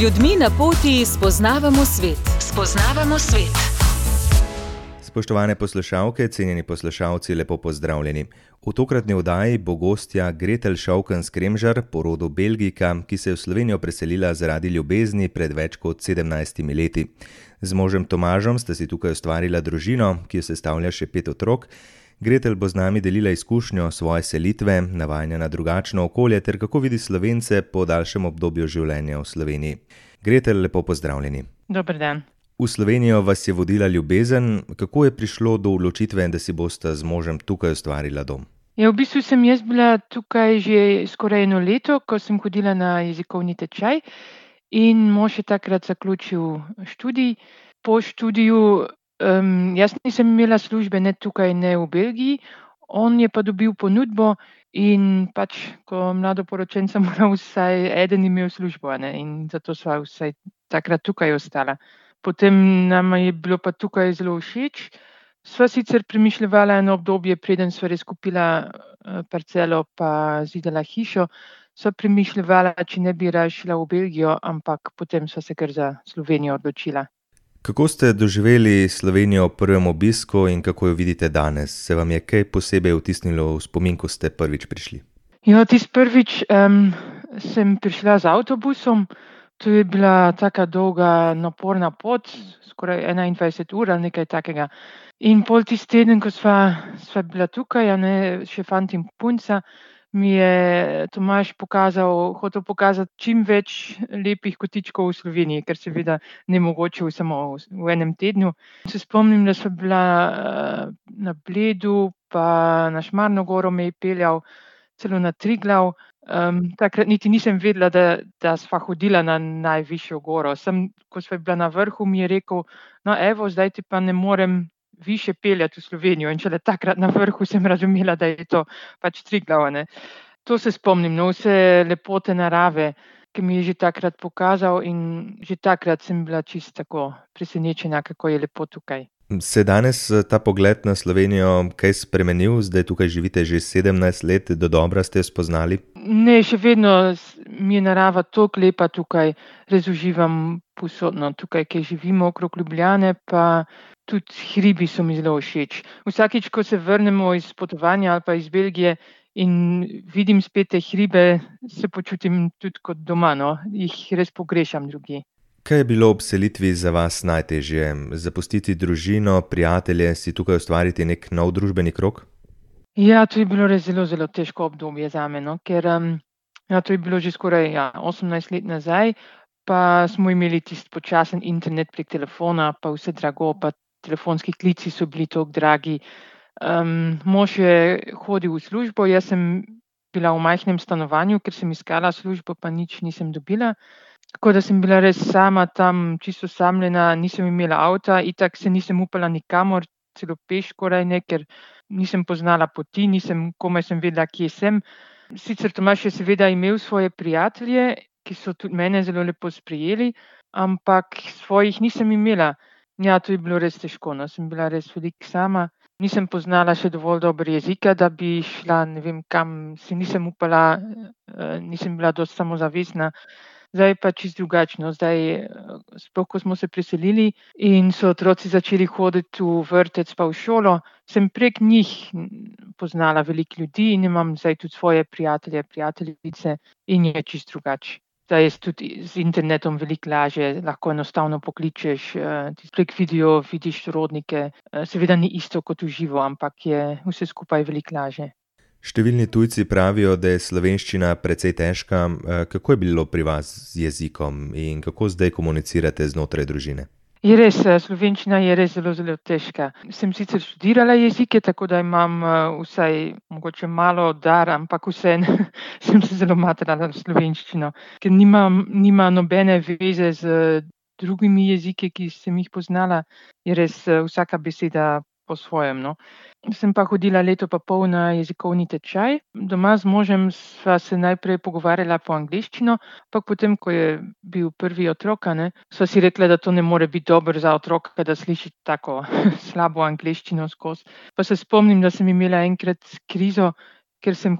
ljudmi na poti spoznavamo svet. Spoznavamo svet. Spoštovane poslušalke, cenjeni poslušalci, lepo pozdravljeni. V tokratni oddaji bo gostja Gretelj Šovken-Kremžar, po rodu Belgijka, ki se je v Slovenijo preselila zaradi ljubezni pred več kot 17 leti. Z možem Tomažem sta si tukaj ustvarila družino, ki jo sestavlja še 5 otrok. Gretelj bo z nami delila izkušnjo svoje selitve, navajanja na drugačno okolje ter kako vidi Slovence po daljšem obdobju življenja v Sloveniji. Gretelj, lepo pozdravljeni. Dober dan. V Slovenijo vas je vodila ljubezen. Kako je prišlo do odločitve, da si bosta z možem tukaj ustvarila dom? Ja, v bistvu sem jaz bila tukaj že skoraj 1 leto, ko sem hodila na jezikovni tečaj in mož je takrat zaključil študij. Po študiju jaz nisem imela službe ne tukaj, ne v Belgiji, on je pa dobil ponudbo in ko mladoporočenca mora vsaj eden imel službo, ne? In zato sva vsaj takrat tukaj ostala. Potem nama je bilo pa tukaj zelo všeč. Sva sicer premišljevala eno obdobje, preden sva res kupila parcelo pa zidala hišo, sva premišljevala, če ne bi raje šla v Belgijo, ampak potem sva se kar za Slovenijo odločila. Kako ste doživeli Slovenijo ob prvem obisku in kako jo vidite danes? Se vam je kaj posebej vtisnilo v spomin, ko ste prvič prišli? Ja, tisti prvič sem prišla z avtobusom. To je bila taka dolga, naporna pot, skoraj 21 ur ali nekaj takega. In pol tisti teden, ko sva bila tukaj, še fant in punca, mi je Tomaž hotel pokazati čim več lepih kotičkov v Sloveniji, ker seveda nemogoče samo v enem tednu. Se spomnim, da sva bila na Bledu, pa na Šmarno goro me je peljal, celo na Triglav. Takrat niti nisem vedela, da sva hodila na najvišjo goro. Ko sva bila na vrhu, mi je rekel, no evo, zdaj ti pa ne morem više peljati v Slovenijo. In šele takrat na vrhu sem razumela, da je to Triglav, ne. To se spomnim, vse lepote narave, ki mi je že takrat pokazal in že takrat sem bila čisto tako presenečena, kako je lepo tukaj. Se danes ta pogled na Slovenijo kaj spremenil? Zdaj tukaj živite že 17 let, dodobra ste jo spoznali? Ne, še vedno mi je narava toliko lepa tukaj, res uživam povsod, tukaj, kjer živimo okrog Ljubljane, pa tudi hribi so mi zelo všeč. Vsakič, ko se vrnemo iz potovanja ali pa iz Belgije in vidim spet te hribe, se počutim tudi kot doma, jih res pogrešam drugje. Kaj je bilo ob selitvi za vas najtežje? Zapustiti družino, prijatelje, si tukaj ustvariti nek nov družbeni krog? Ja, to je bilo res zelo, zelo težko obdobje zame, ker to je bilo že skoraj 18 let nazaj, pa smo imeli tisti počasen internet prek telefona, pa vse drago, pa telefonski klici so bili toliko dragi. Mož je hodil v službo, jaz sem bila v majhnem stanovanju, ker sem iskala službo, pa nič nisem dobila. Tako da sem bila res sama tam, čisto osamljena, nisem imela avta, itak se nisem upala nikamor, celo peš skoraj ne, ker nisem poznala poti, komaj sem vedela, kje sem. Sicer Tomaž je seveda imel svoje prijatelje, ki so tudi mene zelo lepo sprejeli, ampak svojih nisem imela. Ja, to je bilo res težko, sem bila res veliko sama. Nisem poznala še dovolj dobro jezika, da bi šla ne vem kam, si nisem upala, nisem bila dosti samozavestna. Zdaj pa čisto drugačno. Zdaj, sploh ko smo se preselili in so otroci začeli hoditi v vrtec pa v šolo, sem prek njih poznala veliko ljudi in imam zdaj tudi svoje prijatelje, prijateljice in je čisto drugače. Zdaj je tudi z internetom veliko lažje, lahko enostavno pokličeš, prek video vidiš sorodnike. Seveda ni isto kot v živo, ampak je vse skupaj veliko lažje. Številni tujci pravijo, da je slovenščina precej težka. Kako je bilo pri vas z jezikom in kako zdaj komunicirate znotraj družine? Je res, slovenščina je res zelo, zelo težka. Sem sicer študirala jezike, tako da imam vsaj mogoče malo dar, ampak vseeno sem se zelo matrala v slovenščino, ker nima nobene veze z drugimi jeziki, ki sem jih poznala. Je res vsaka beseda po svojem, Sem pa hodila 1,5 leta na jezikovni tečaj. Doma z možem sva se najprej pogovarjala po angleščino, pa potem, ko je bil prvi otrok, sva si rekla, da to ne more biti dobro za otroka, da sliši tako slabo angleščino skozi. Pa se spomnim, da sem imela enkrat krizo, ker sem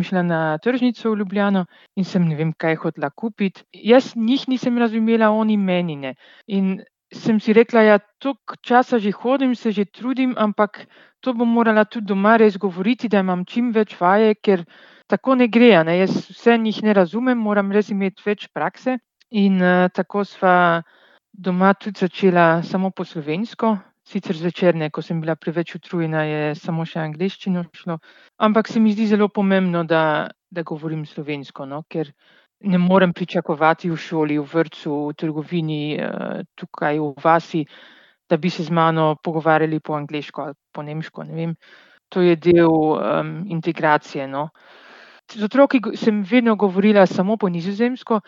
šla na tržnico v Ljubljano in sem ne vem kaj hotela kupiti. Jaz njih nisem razumela, oni meni ne. In sem si rekla, ja, toliko časa že hodim, se že trudim, ampak to bom morala tudi doma res govoriti, da imam čim več vaje, ker tako ne gre, ne. Jaz vse njih ne razumem, moram res imeti več prakse. In tako sva doma tudi začela samo po slovensko. Sicer zvečer ne, ko sem bila preveč utrujena, je samo še angleščino šlo. Ampak se mi zdi zelo pomembno, da govorim slovensko, no, ker ne morem pričakovati v šoli, v vrtcu, v trgovini, tukaj v vasi, da bi se z mano pogovarjali po angleško ali po nemško, ne vem. To je del integracije, no. Z otroki sem vedno govorila samo po nizozemsko,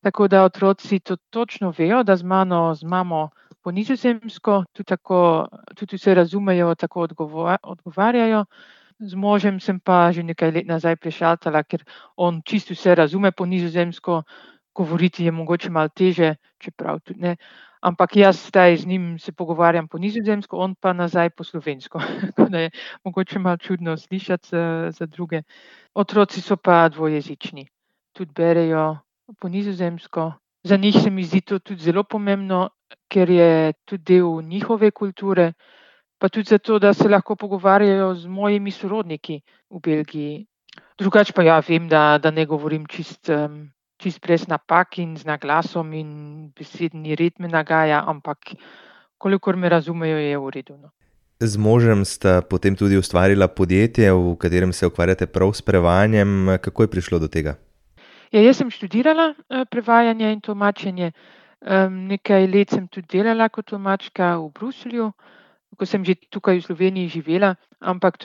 tako da otroci to točno vejo, da z mamo po nizozemsko, tudi vse razumejo, tako odgovarjajo. Z možem sem pa že nekaj let nazaj prešaltala, ker on čisto vse razume po nizozemsko, govoriti je mogoče malo težje, čeprav tudi ne. Ampak jaz zdaj z njim se pogovarjam po nizozemsko, on pa nazaj po slovensko. Tako da je mogoče malo čudno slišati za druge. Otroci so pa dvojezični. Tudi berejo po nizozemsko. Za njih se mi zdi to tudi zelo pomembno, ker je tudi del njihove kulture, pa tudi zato, da se lahko pogovarjajo z mojimi sorodniki v Belgiji. Drugače pa ja, vem, da ne govorim čist brez napak in z naglasom in besedni red me nagaja, ampak kolikor me razumejo, je v redu, no. Z možem sta potem tudi ustvarila podjetje, v katerem se ukvarjate prav s prevajanjem. Kako je prišlo do tega? Ja, jaz sem študirala prevajanje in tolmačenje. Nekaj let sem tudi delala kot tolmačka v Bruslju, ko sem že tukaj v Sloveniji živela, ampak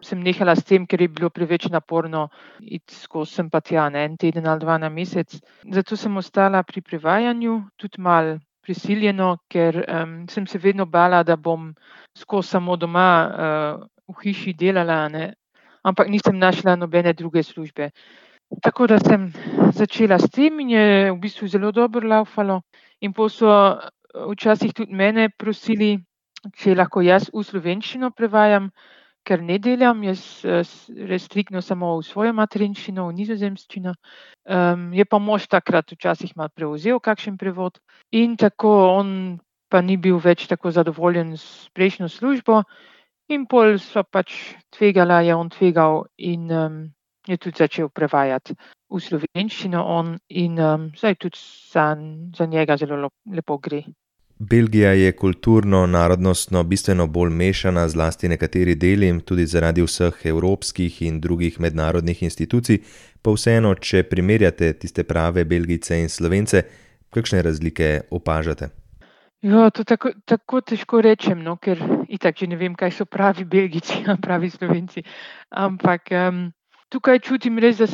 sem nehala s tem, ker je bilo preveč naporno iti skozi sem pa tja, ne, en teden ali dva na mesec. Zato sem ostala pri prevajanju, tudi malo prisiljeno, ker sem se vedno bala, da bom skozi samo doma v hiši delala, ne, ampak nisem našla nobene druge službe. Tako da sem začela s tem in je v bistvu zelo dobro laufalo. In pol so včasih tudi mene prosili, če lahko jaz v slovenščino prevajam, ker ne delam, jaz res striktno samo v svojo materinščino, v nizozemščino. Je pa mož takrat včasih malo prevzel kakšen prevod in tako on pa ni bil več tako zadovoljen s prejšnjo službo in pol sva pač tvegala, je on tvegal in je tudi začel prevajati v slovenščino on in zdaj tudi za njega zelo lepo gre. Belgija je kulturno, narodnostno bistveno bolj mešana, zlasti nekateri deli, tudi zaradi vseh evropskih in drugih mednarodnih institucij, pa vseeno, če primerjate tiste prave Belgijce in Slovence, kakšne razlike opažate? Ja, to tako težko rečem, no, ker itak že ne vem, kaj so pravi Belgijci, pravi Slovenci, ampak tukaj čutim res, da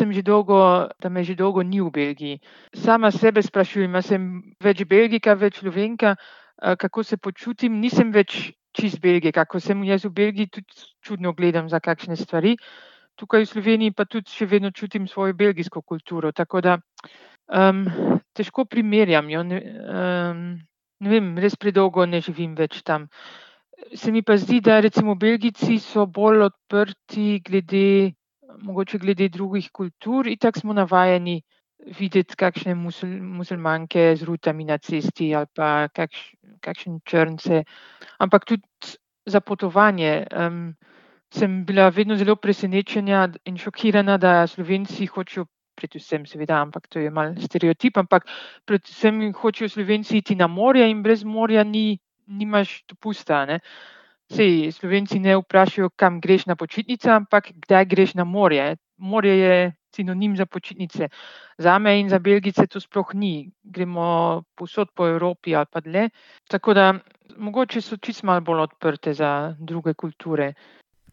me že dolgo ni v Belgiji. Sama sebe sprašujem, a sem več Belgijka, več Slovenka, kako se počutim. Nisem več čist Belgijka, ko sem jaz v Belgiji, tudi čudno gledam za kakšne stvari. Tukaj v Sloveniji pa tudi še vedno čutim svojo belgijsko kulturo, tako da težko primerjam, jo. Ne vem, res predolgo ne živim več tam. Se mi pa zdi, da recimo Belgijci so bolj odprti mogoče glede drugih kultur. Itak smo navajeni videti kakšne muslimanke z rutami na cesti ali pa kakšen črnce. Ampak tudi za potovanje sem bila vedno zelo presenečena in šokirana, da Slovenci hočejo, predvsem seveda, ampak to je malo stereotip, ampak predvsem hočejo Slovenci iti na morje in brez morja nimaš dopusta, ne. Saj Slovenci ne vprašajo, kam greš na počitnice, ampak kdaj greš na morje. Morje je sinonim za počitnice. Zame in za Belgijce to sploh ni. Gremo povsod po Evropi ali pa dlje. Tako da mogoče so čisto malo bolj odprte za druge kulture.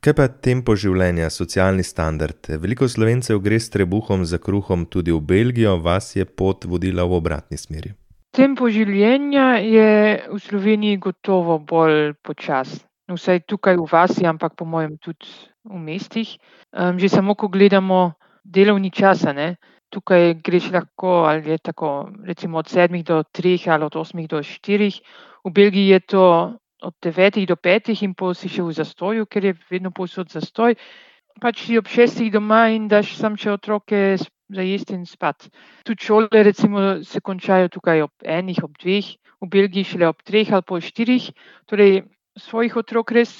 Kaj pa tempo življenja, socialni standard? Veliko Slovencev gre s trebuhom za kruhom tudi v Belgijo, vas je pot vodila v obratni smeri. Tempo življenja je v Sloveniji gotovo bolj počasno. Vsaj tukaj v vasi, ampak po mojem tudi v mestih. Že samo, ko gledamo delovni čas, ne, tukaj greš lahko, ali je tako, recimo od 7 do 3 ali od 8 do 4. V Belgiji je to od 9 do 5 in pol si še v zastoju, ker je vedno povsod zastoj. pač si ob 6 doma in daš sam še otroke za jesti in spat. Tudi šole recimo se končajo tukaj ob 1, ob 2, v Belgiji šele ob 3 ali pol 4. Torej svojih otrok res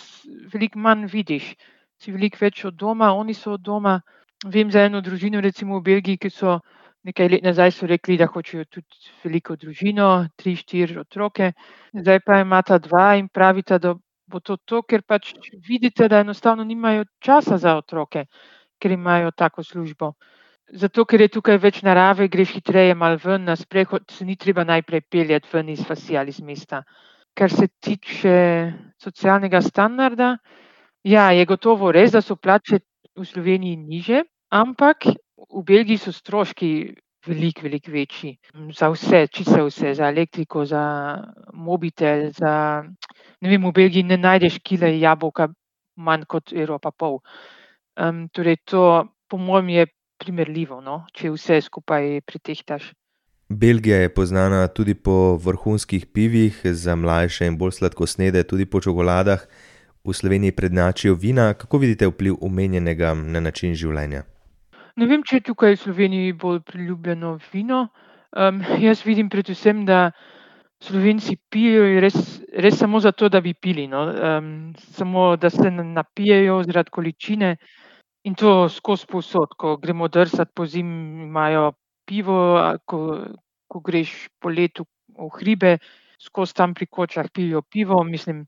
veliko manj vidiš. Si veliko več od doma, oni so od doma. Vem za eno družino recimo v Belgiji, ki so nekaj let nazaj so rekli, da hočejo tudi veliko družino, 3, 4 otroke. Zdaj pa imata 2 in pravita, da bo to, ker pač vidite, da enostavno nimajo časa za otroke, ker imajo tako službo. Zato, ker je tukaj več narave, greš hitreje malo ven na sprehod, se ni treba najprej peljati ven iz vasi ali iz mesta. Kar se tiče socialnega standarda, ja, je gotovo res, da so plače v Sloveniji nižje, ampak v Belgiji so stroški veliko večji. Za vse, čisto vse, za elektriko, za mobitel, ne vem, v Belgiji ne najdeš kile jabolka manj kot €1,50. Torej to po mojem je primerljivo, no, če vse skupaj pretehtaš. Belgija je poznana tudi po vrhunskih pivih, za mlajše in bolj sladkosnede tudi po čokoladah. V Sloveniji prednjačijo vina. Kako vidite vpliv omenjenega na način življenja? Ne vem, če je tukaj v Sloveniji bolj priljubljeno vino. Jaz vidim predvsem, da Slovenci pijejo res samo zato, da bi pili, no. Samo da se napijejo zaradi količine in to skozi povsod. Ko gremo drsat pozimi, imajo pivo, ko greš po letu v hribe, skozi tam pri kočah pijejo pivo. Mislim,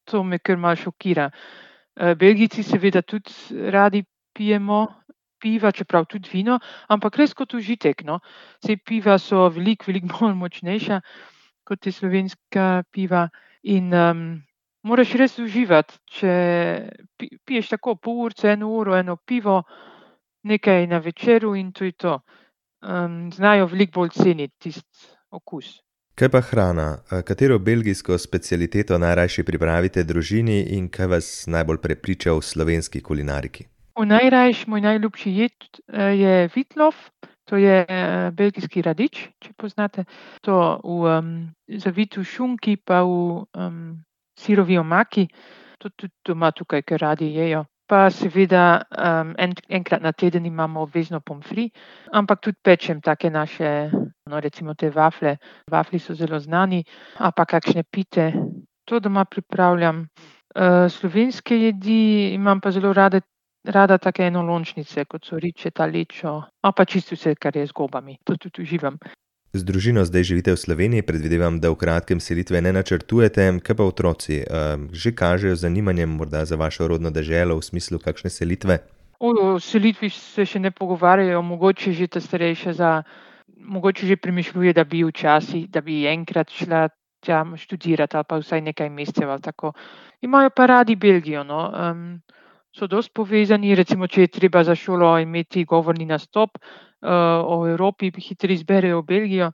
to me kar malo šokira. Belgijci seveda tudi radi pijemo piva, čeprav tudi vino, ampak res kot užitek, no. Saj piva so veliko bolj močnejša kot je slovenska piva in moraš res uživati, če piješ tako pol urice, 1 uro, eno pivo, nekaj na večeru in to je to. Znajo veliko bolj ceniti tisti okus. Kaj pa hrana? Katero belgijsko specialiteto najrajši pripravite družini in kaj vas najbolj prepriča v slovenski kulinariki? Moj najljubši jed je vitlof, to je belgijski radič, če poznate. To zavit v šunki pa v sirovi omaki. To tudi doma tukaj kar radi jejo. Pa seveda enkrat na teden imamo obvezno pommes frites, ampak tudi pečem take naše, no, recimo te vaflje. Vaflji so zelo znani, ali pa kakšne pite. To doma pripravljam. Slovenske jedi imam pa zelo rada take enolončnice, kot so ričeta, lečo, ali pa čisto vse, kar je z gobami. To tudi uživam. Z družino zdaj živite v Sloveniji, predvidevam, da v kratkem selitve ne načrtujete. Kaj pa otroci? Že kažejo zanimanje morda za vašo rodno deželo v smislu kakšne selitve? O selitvi se še ne pogovarjajo, mogoče že ta starejša mogoče že premišljuje, da bi včasih, da bi enkrat šla tja študirati ali pa vsaj nekaj mesecev ali tako. Imajo pa radi Belgijo, no. So dosti povezani, recimo, če je treba za šolo imeti govorni nastop o Evropi, hitro izberejo Belgijo.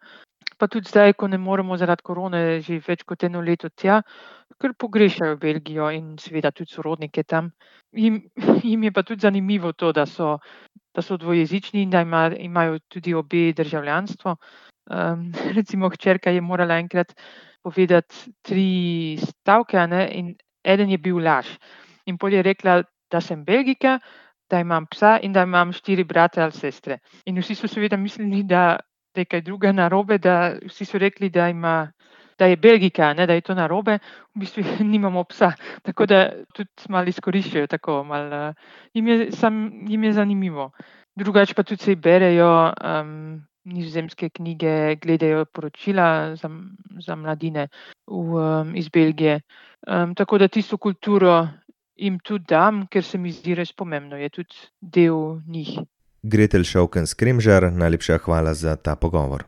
Pa tudi zdaj, ko ne moremo zaradi korone že več kot 1 leto tja, kar pogrešajo Belgijo in seveda tudi sorodnike tam. Jim je pa tudi zanimivo to, da so dvojezični in da imajo tudi obe državljanstvo. Recimo hčerka je morala enkrat povedati 3 stavke, a ne, in eden je bil laž. In pol je rekla, da sem Belgijka, da imam psa in da imam 4 brate ali sestre. In vsi so seveda mislili, da je kaj druga narobe, da vsi so rekli, da je Belgijka, ne, da je to narobe, v bistvu nimamo psa. Tako da tudi malo izkoriščajo, tako malo jim je zanimivo. Drugače pa tudi se berejo nizozemske knjige, gledajo poročila za mladine iz Belgije. Tako da tisto kulturo jim tudi dam, ker se mi zdi res pomembno, je tudi del njih. Gretel Šaukenc-Kremžar, najlepša hvala za ta pogovor.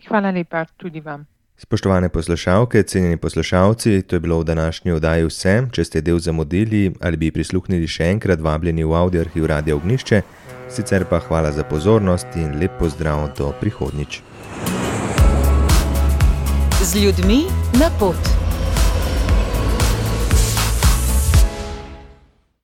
Hvala lepa tudi vam. Spoštovane poslušalke, cenjeni poslušalci, to je bilo v današnji oddaji vse. Če ste del zamudili ali bi prisluhnili še enkrat, vabljeni v avdioarhiv Radia Ognjišče. Sicer pa hvala za pozornost in lep pozdrav do prihodnjič. Z ljudmi na pot.